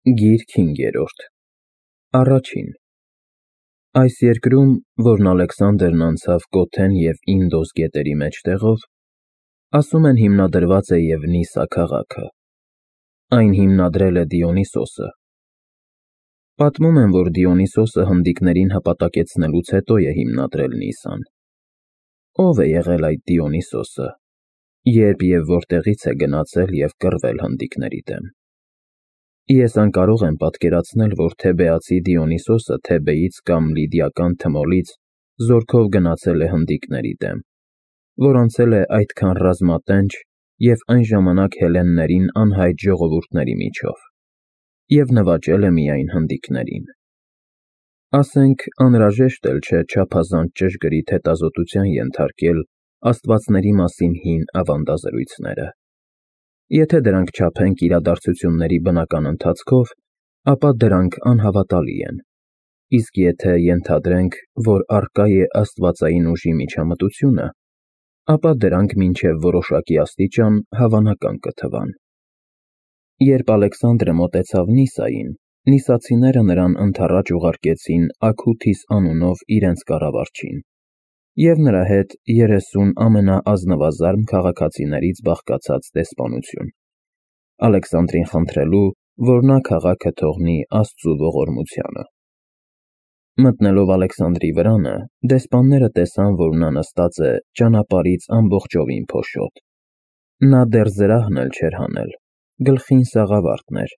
Գիրք 5-րդ Առաջին Այս երկրում, որն Ալեքսանդրն անցավ Կոթեն և Ինդոս գետերի մեջտեղով, ասում են հիմնադրված է Եվնիսա քաղաքը, այն հիմնադրել է Դիոնիսոսը։ Պատմում են, որ Դիոնիսոսը հնդիկներին հպատակեցնելուց հետո է հիմնադրել Նիսան։ Ո՞վ է եղել այդ Դիոնիսոսը, երբ և որտեղից է գնացել և կռվել հնդիկների դեմ։ Ես անկարող եմ պատկերացնել, որ թեբեացի Դիոնիսոսը Թեբեից կամ լիդիական Թմոլից զորքով գնացել է հնդիկների դեմ, որ անցել է այդքան ռազմատենչ և այն ժամանակ հելլեններին անհայտ ժողովուրդների միջով և նվաճել է միայն հնդիկներին։ Ասենք, անհրաժեշտ էլ չէ չափազանց ճշգրիտ հետազոտության ենթարկել աստվածների մասին հին ավանդազրույցները։ Եթե դրանք չափենք իրադարձությունների բնական ընթացքով, ապա դրանք անհավատալի են, իսկ եթե ենթադրենք, որ առկա է աստվածային ուժի միջամտությունը, ապա դրանք մինչև որոշակի աստիճան հավանական կթվան։ Երբ Ալեքսանդրը մոտեցավ Նիսային, նիսացիները նրան ընդառաջ ուղարկեցին Աքութիս անունով իրենց կառավարչին և նրա հետ 30 ամենաազնվազարմ քաղաքացիներից բաղկացած դեսպանություն, Ալեքսանդրին խնդրելու, որ նա քաղաքը թողնի Աստծու ողորմությանը։ Մտնելով Ալեքսանդրի վրանը, դեսպանները տեսան, որ նա նստած է ճանապարհից ամբողջովին փոշոտ։ Նա դեռ զրահն էլ չէր հանել, գլխին սաղավարտն էր,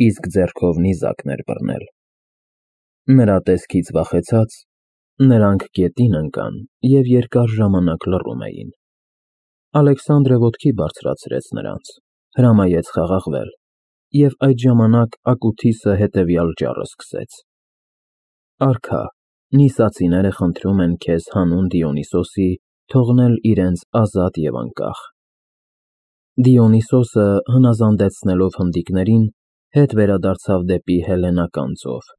իսկ ձեռքով նիզակն էր բռնել։ Նրա տեսքից վախեցած, նրանք գետին ընկան և երկար ժամանակ լռում էին։ Ալեքսանդրը ոտքի բարձրացրեց նրանց, հրամայեց խաղաղվել, և այդ ժամանակ Աքութիսը հետևյալ ճառը սկսեց. «Արքա, նիսացիները խնդրում են քեզ հանուն Դիոնիսոսի թողնել իրենց ազատ և անկախ»։ Դիոնիսոսը, հնազանդեցնելով հնդիկներին, հետ վերադարձավ դեպի հելլենական ծով,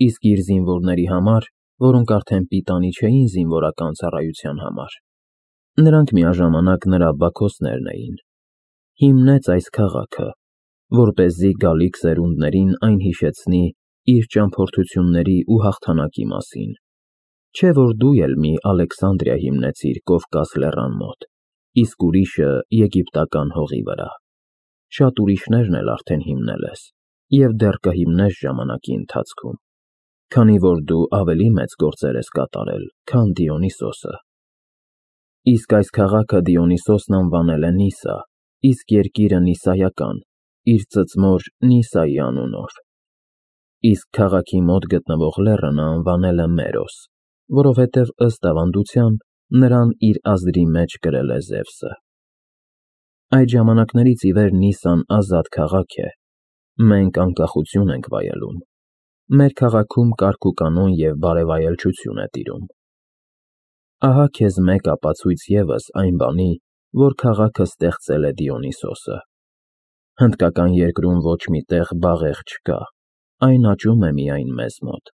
իսկ իր զինվորների համար, որոնք արդեն պիտանի չէին զինվորական ծառայության համար, նրանք միաժամանակ նրա բաքոսներն էին, հիմնեց այս քաղաքը, որպեսզի գալիք սերունդներին այն հիշեցնի իր ճամփորդությունների ու հաղթանակի մասին, չէ՞ որ դու էլ մի Ալեքսանդրիա հիմնեցիր Կովկաս լեռան մոտ, իսկ ուրիշը եգիպտական հողի վրա։ Շատ ուրիշներն էլ արդեն հիմնել ես և դեռ կհիմնես ժամանակի ընթացքում, քանի որ դու ավելի մեծ գործեր ես կատարել, քան Դիոնիսոսը։ Իսկ այս քաղաքը Դիոնիսոսն անվանել է Նիսա, իսկ երկիրը Նիսայական, իր ծծմոր Նիսայի անունով։ Իսկ քաղաքի մոտ գտնվող լեռը նա անվանել է Մերոս, որովհետև ըստ ավանդության նրան իր ազդրի մեջ կրել է Զևսը։ Այդ ժամանակներից ի վեր Նիսան ազատ քաղաք է, մենք անկախություն ենք վայելում, մեր քաղաքում կարգ ու կանոն և բարեվայելչություն է տիրում։ Ահա քեզ մեկ ապացույց ևս այն բանի, որ քաղաքը ստեղծել է Դիոնիսոսը։ Հնդկական երկրում ոչ մի տեղ բաղեղ չկա, այն աճում է միայն մեզ մոտ։